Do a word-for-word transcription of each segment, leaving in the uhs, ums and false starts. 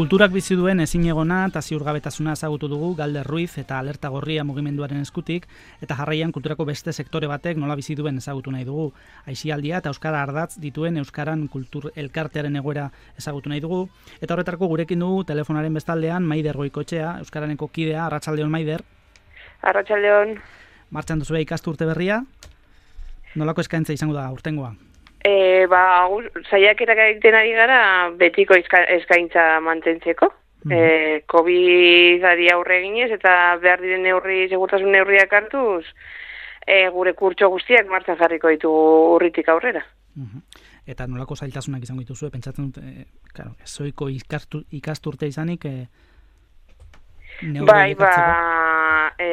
Kulturak bizi duen ezinegona eta ziurgabetasuna ezagutu dugu Galder Ruiz eta Alerta Gorria mugimenduaren eskutik, eta jarraian kulturako beste sektore batek nola bizi duen ezagutu nahi dugu. Aisialdia eta euskara ardatz dituen euskaran kultur elkartearen egoera ezagutu nahi dugu, eta horretarako gurekin dugu telefonaren bestaldean Maider Goikotxea, euskaraneko kidea. Arratsaldeon, Maider. Arratsaldeon. Martxan duzue ikasturte berria? Nolako eskaintza izango da urtengoa? E, ba, saiakerak egiten ari gara betiko eskaintza mantentzeko. Mm. E, COVID-ari aurre eginez eta behar diren neurri, segurtasun neurriak hartuz, e, gure kurtso guztiak martxan jarriko ditugu urritik aurrera. Mm-hmm. Eta nolako zailtasunak izango dituzue, pentsatzen dut, e, claro, ezoiko ikastu, ikasturte izanik, e, neurri bai, elkartzeko? Ba, e,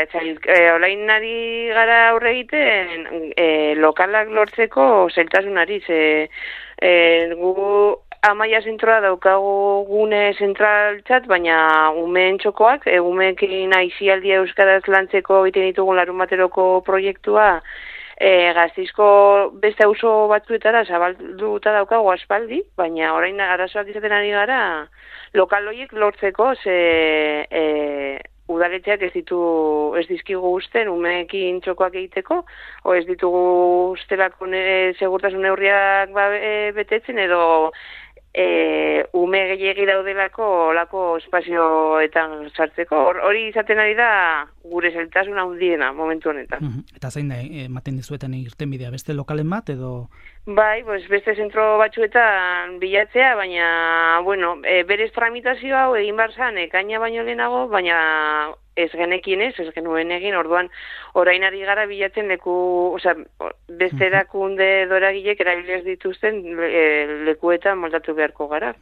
e, olain ari gara aurre egiten e, lokalak lortzeko zailtasunari, ze e, gu Amaia zentroa daukagu gune zentraltzat, baina umeen txokoak, e, umeekin aisialdia euskaraz lantzeko egiten ditugun larun bateroko proiektua, e, Gasteizko beste auzo batzuetara zabalduta daukagu aspaldi, baina orain arazoak izaten ari gara lokal horiek lortzeko, ze e, udaletxeak ez ditu ez dizkigu usten umeekin txokoak egiteko, o ez ditugu ustelako ne, segurtasun neurriak ba, e, betetzen edo E, ume gehiegi daudelako olako espazioetan sartzeko. Hori izaten ari da gure zailtasun handiena momentu honetan. Mm-hmm. Eta zein da, ematen dizuetan irtenbidea, beste lokalen bat edo? Bai, pues beste zentro batzuetan bilatzea, baina, bueno, e, berez tramitazio hau egin bar zan, ekaina baino lehenago, baina ez genekin ez, ez genuen egin, orduan orain ari gara bilatzen leku, osea, beste erakunde doragilek erabiliz dituzten e, lekuetan moldatu beharko gara.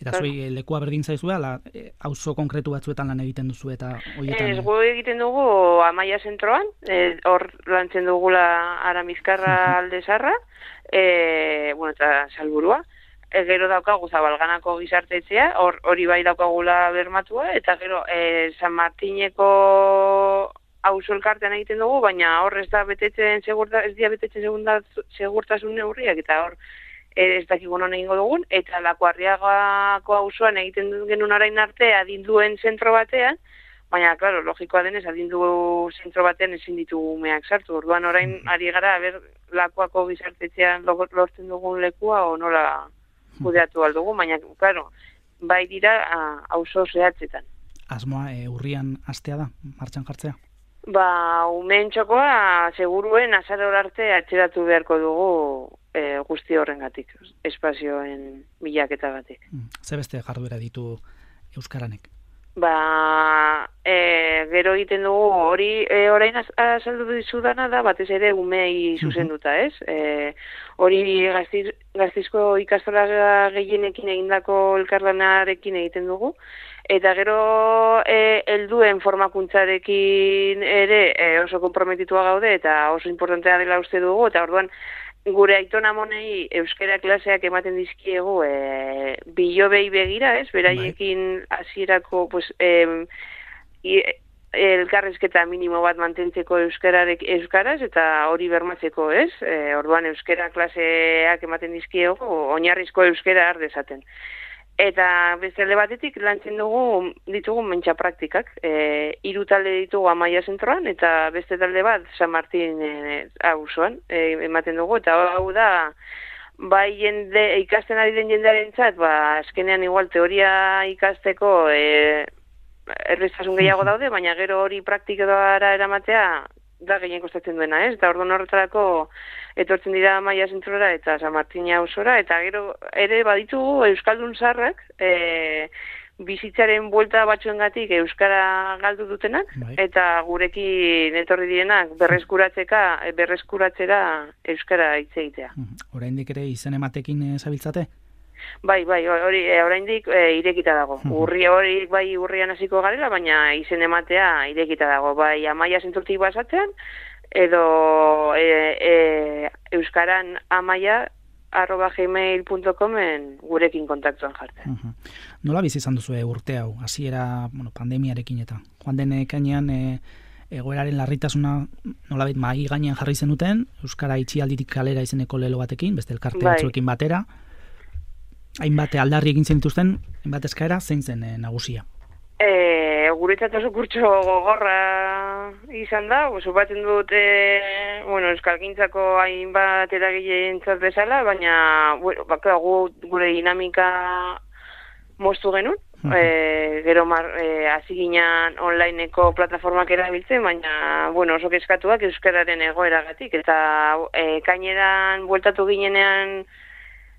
Eta zui claro. Lekua berdin zaizua, la, e, auzo konkretu batzuetan lan egiten duzu eta horietan? Ez, gu egiten dugu Amaia zentroan, e, hor lantzen dugula Aramizkarra alde zarra, e, bueno, eta Salburua. Gero daukagu Zabalganako gizartetzea, hori bai daukagula bermatua, eta gero e, San Martineko auzo elkartean egiten dugu, baina hor ez da betetzen segurta, ez dira betetzen segunda, segurtasun neurriak, eta hor ez dakigun hona egingo dugun, eta Lakuarriagako auzoan egiten genuen orain arte adinduen zentro batean, baina, klaro, logikoa denez, adindu zentro batean ezin ditu umeak sartu. Orduan orain ari gara, ber, Lakuako gizartetzean lortzen dugun lekua, o nola kudeatu aldugu, baina, claro, bai dira auzo zehatzetan. Asmoa e, urrian hastea da, martxan jartzea? Ba, umeen txokoa, seguruen azaror arte atxeratu beharko dugu e, guzti horrengatik, espazioen bilaketagatik. Hmm. Ze beste jarduera ditu euskaranek? Ba, e, gero egiten dugu hori e, orain azaldu dizudana da batez ere umei zuzenduta, ez? E, hori gaztiz, Gasteizko ikastola gehienekin egindako elkarlanarekin egiten dugu, eta gero e, helduen formakuntzarekin ere e, oso konprometitua gaude eta oso importantea dela uste dugu, eta orduan gure aiton amonei euskara klaseak ematen dizkiegu e, bilobei begira, ez? Beraiekin hasierako pues, e, elkarrezketa minimo bat mantentzeko euskararek euskaraz eta hori bermatzeko, ez? E, orduan euskara klaseak ematen dizkiegu oinarrizko euskara har dezaten. Eta beste alde batetik lantzen dugu ditugu mentxa praktikak. E, hiru talde ditugu Amaia zentroan eta beste talde bat San Martin e, auzoan e, ematen dugu, eta hau da bai jende ikasten ari den jendearentzat, ba azkenean igual teoria ikasteko e, errestasun gehiago daude, baina gero hori praktikara eramatea da gehien kostatzen duena, ez? Eta orduan horretarako etortzen dira Amaia zentrora eta San Martin auzora, eta gero ere baditugu euskaldun zaharrak, e, bizitzaren buelta batzuengatik euskara galdu dutenak, bai. Eta gurekin etorri direnak berreskuratzeka, berreskuratzera euskara hitz egitea. Oraindik ere izen ematekin zabiltzate? Bai, bai, hori oraindik e, irekita dago. Urri hori bai urrian hasiko garela, baina izen ematea irekita dago. Bai, Amaia zentrotik basatzean, edo e, e, euskaran amaia arroba gmail punto comen gurekin kontaktuan jartzen. Uh-huh. Nola bizi izan duzu urte hau? Hasiera, bueno, pandemiarekin eta joan den ekainean e, egoeraren larritasuna nolabait mahai gainean jarri zenuten, euskara itxialditik kalera izeneko lelo batekin, beste elkarte batzuekin batera. hainbat aldarri egin zen dituzten, hainbat eskaera, zein zen e, nagusia? E, guretzat oso kurtso gogorra izan da, supatzen dut e, bueno, euskalgintzako hainbat eragileentzat bezala, baina bueno, baka, gu, gure dinamika moztu genuen, uh -huh. e, gero mar, e, hasi ginen onlineko plataformak erabiltzen, baina bueno, oso kezkatuak euskararen egoeragatik, eta e, kaineran bueltatu ginenean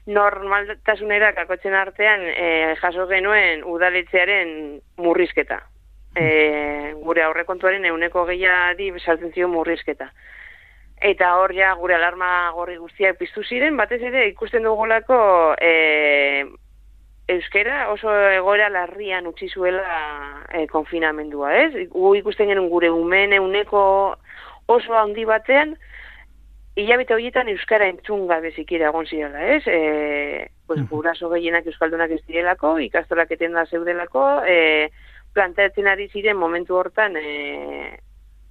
normaltasunera kakotzen artean e, jaso genuen udaletxearen murrizketa. E, gure aurrekontuaren euneko gehiari saltzen zio murrizketa. Eta hor ja gure alarma gorri guztiak piztu ziren, batez ere ikusten dugulako e, euskera oso egoera larrian utzi zuela e, konfinamendua, ez? Gu ikusten genuen gure umeen euneko oso handi batean, hilabete horietan euskara entzun gabe zikira egon zirela, ez? E, pues, guraso gehienak euskaldunak ez direlako, ikastolak etenda zeudelako, e, planteatzen ari ziren momentu hortan e,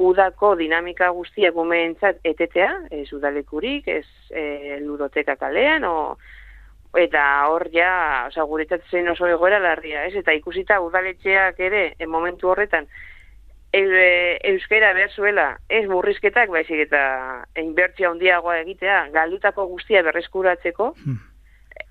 udako dinamika guztiak umeentzat etetea, ez udalekurik, ez e, ludoteka kalean, o, eta hor ja, oza, guretzat zen oso egoera larria, ez? Eta ikusita udaletxeak ere, en momentu horretan, euskera behar zuela, ez murrizketak, baizik eta inbertzia handiagoa egitea, galdutako guztia berreskuratzeko, hmm.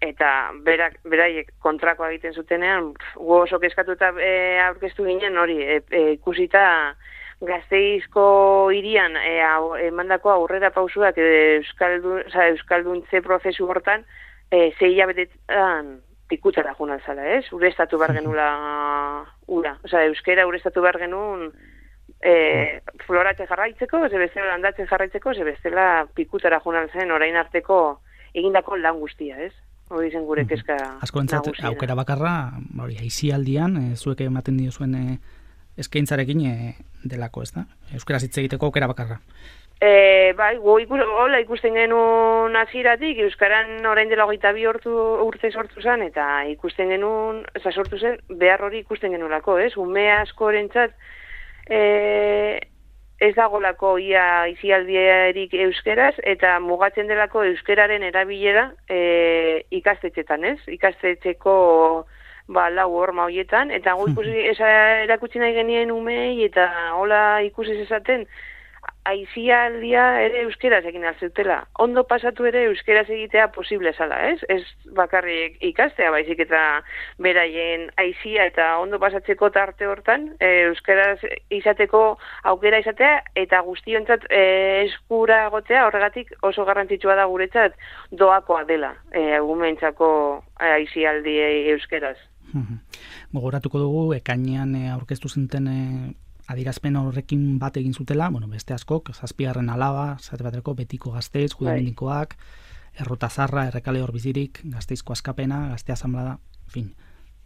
eta berak, beraiek kontrakoa egiten zutenean, gu oso kezkatuta e, aurkeztu ginen hori, e, e, ikusita Gasteizko hirian e, emandako aurrera pausuak e, euskaldun, oza, euskalduntze prozesu hortan, e, zei hilabetetan pikutara juna zala, ez? Urestatu behar genula ura. Oza, euskera urestatu behar genuen e, floratzen jarraitzeko, ze bestela landatzen jarraitzeko, ze bestela pikutara juna zen orain arteko egindako lan guztia, ez? Hori zen gure kezka asko entzat, aukera bakarra, hori, aizialdian, e, zuek ematen dio zuen e, eskaintzarekin e, delako, ez da? Euskaraz hitz egiteko aukera bakarra. E, bai, gu ikus, hola ikusten genuen hasieratik euskaran orain dela hogeita bi urte sortu zen, eta ikusten genuen, eza sortu zen, behar hori ikusten genuelako, ez? Ume askorentzat e, ez dagolako ia izialdierik euskeraz, eta mugatzen delako euskeraren erabilera e, ikastetxetan, ez? Ikastetxeko ba, lau horma horietan, eta gu ikusi erakutsi nahi genien umei, eta hola ikusi esaten, aizialdia ere euskeraz egin alzeutela. Ondo pasatu ere euskeraz egitea posible zala, ez? Ez bakarrik ikastea, baizik eta beraien aizia eta ondo pasatzeko tarte hortan, e, euskeraz izateko aukera izatea, eta guztiontzat e, eskura egotea, horregatik oso garrantzitsua da guretzat doakoa dela, e, gumentzako aizialdi euskeraz. Gogoratuko dugu, ekainean e, aurkeztu zinten e, adirazpen horrekin bat egin zutela, bueno, beste askok, zazpigarren alaba, zate baterako, Betiko Gasteiz, Judemendikoak, Errota Zarra, Errekale Horbizirik, Gasteizko Askapena, Gazte Asanblada, fin,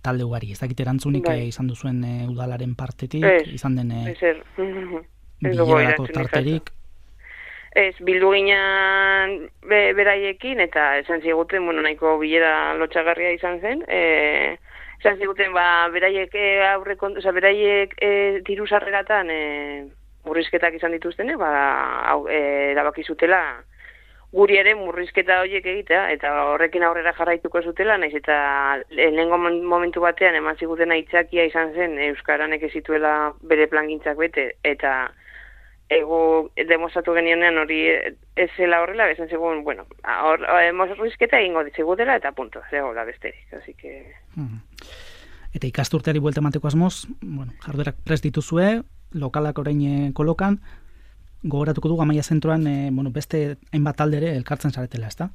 talde ugari. Ez dakit erantzunik e, izan duzuen e, udalaren partetik, ez, izan den e, bilerako tarterik. Ez, bildu ginen be, beraiekin, eta esan ziguten, bueno, nahiko bilera lotxagarria izan zen, e, esan ziguten, ba, beraiek aurrekon, oza, beraiek e, diru sarreratan e, murrizketak izan dituztene, ba, hau, e, erabaki zutela guri ere murrizketa horiek egitea, eta horrekin aurrera jarraituko zutela, naiz eta lehenengo momentu batean eman ziguten aitzakia izan zen euskaranek ez zituela bere plangintzak bete, eta ego demostratu genionean hori ez zela horrela, esan segun, bueno, hor, murrizketa egingo ditzigutela, eta punto, zegoela besterik, así que... Hmm. Eta ikasturteari buelta emateko asmoz, bueno, jarduerak prest dituzue, lokalak orain kolokan, gogoratuko dugu Amaia Zentroan, e, bueno, beste hainbat aldere elkartzen zaretela, ezta?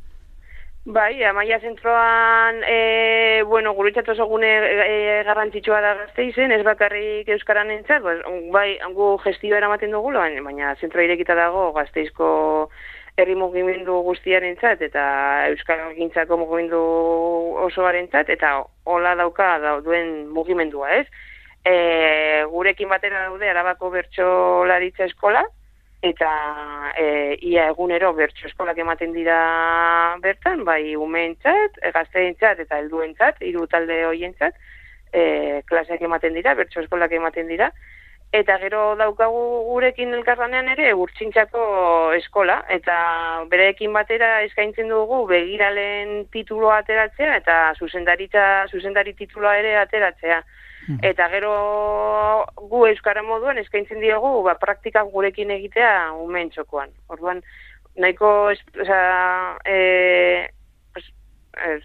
Bai, Amaia Zentroan, e, bueno, guretzat oso gune e, garrantzitsua da Gasteizen, ez bakarrik euskaran entzat, bai, gu gestioa eramaten dugu, baina zentroa irekita dago Gasteizko herri mugimendu guztiarentzat eta euskalgintzako mugimendu osoarentzat, eta hola dauka duen mugimendua, ez? E, gurekin batera daude Arabako Bertsolaritza Eskola, eta e, ia egunero bertso eskolak ematen dira bertan, bai umeentzat, gazteentzat eta helduentzat, hiru talde hoientzat, e, klaseak ematen dira, bertso eskolak ematen dira, Eta gero daukagu gurekin elkarlanean ere Urtxintxako eskola, eta bereekin batera eskaintzen dugu begiralen tituloa ateratzea eta zuzendaritza zuzendari tituloa ere ateratzea. Hmm. Eta gero gu euskara moduan eskaintzen diogu ba, praktikak gurekin egitea umeen txokoan. Orduan, nahiko, oza, e, pues, e,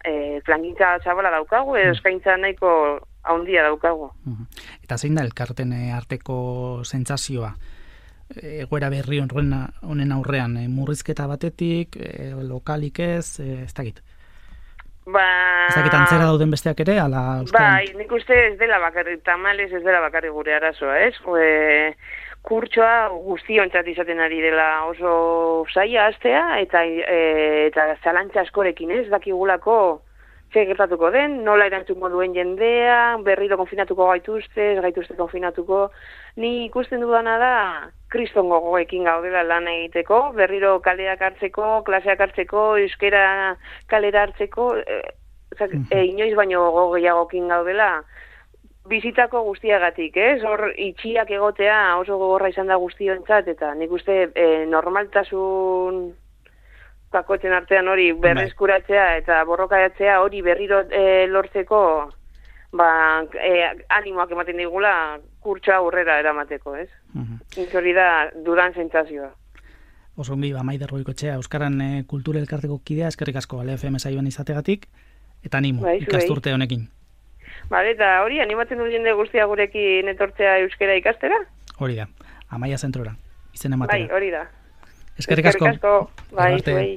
e, plangintza txabala daukagu, edo eskaintza nahiko haundia daukagu. Eta zein da elkarten arteko sentsazioa? Egoera berri honen aurrean, murrizketa batetik, lokalik ez, ez dakit? Ba... Ez dakit antzera dauden besteak ere, ala... Bai, nik uste ez dela bakarri, tamales ez dela bakarri gure arazoa, ez? E, kurtsoa guztiontzat izaten ari dela oso zaila hastea, eta, e, eta zalantza askorekin ez, dakigulako ze gertatuko den, nola erantzungo duen jendea, berriro konfinatuko gaituzte, ez gaituzte konfinatuko. Ni ikusten dudana da, kriston gogoekin gaudela lan egiteko, berriro kaleak hartzeko, klaseak hartzeko, euskera kalera hartzeko, e, e, inoiz baino gogo gehiagokin gaudela, bizitako guztiagatik, ez? Hor itxiak egotea oso gogorra izan da guztiontzat, eta nik uste e, normaltasun... bakoitzen artean hori berreskuratzea eta borrokatzea hori berriro e, lortzeko ba, e, animoak ematen digula kurtsoa aurrera eramateko, ez? Uh-huh. Hori da dudan sentsazioa. Oso ongi, ba, Maider Goikoetxea, Euskaran e, Kultura Elkarteko kidea, eskerrik asko L F M saioan izategatik, eta animo, bai, ikasturte honekin. Bale, eta hori, animatzen du jende guztia gurekin etortzea euskera ikastera? Hori da, Amaia Zentrora, izen ematera. Bai, hori da. Eskerrik asko. Eskerrik asko. Bai, zuei.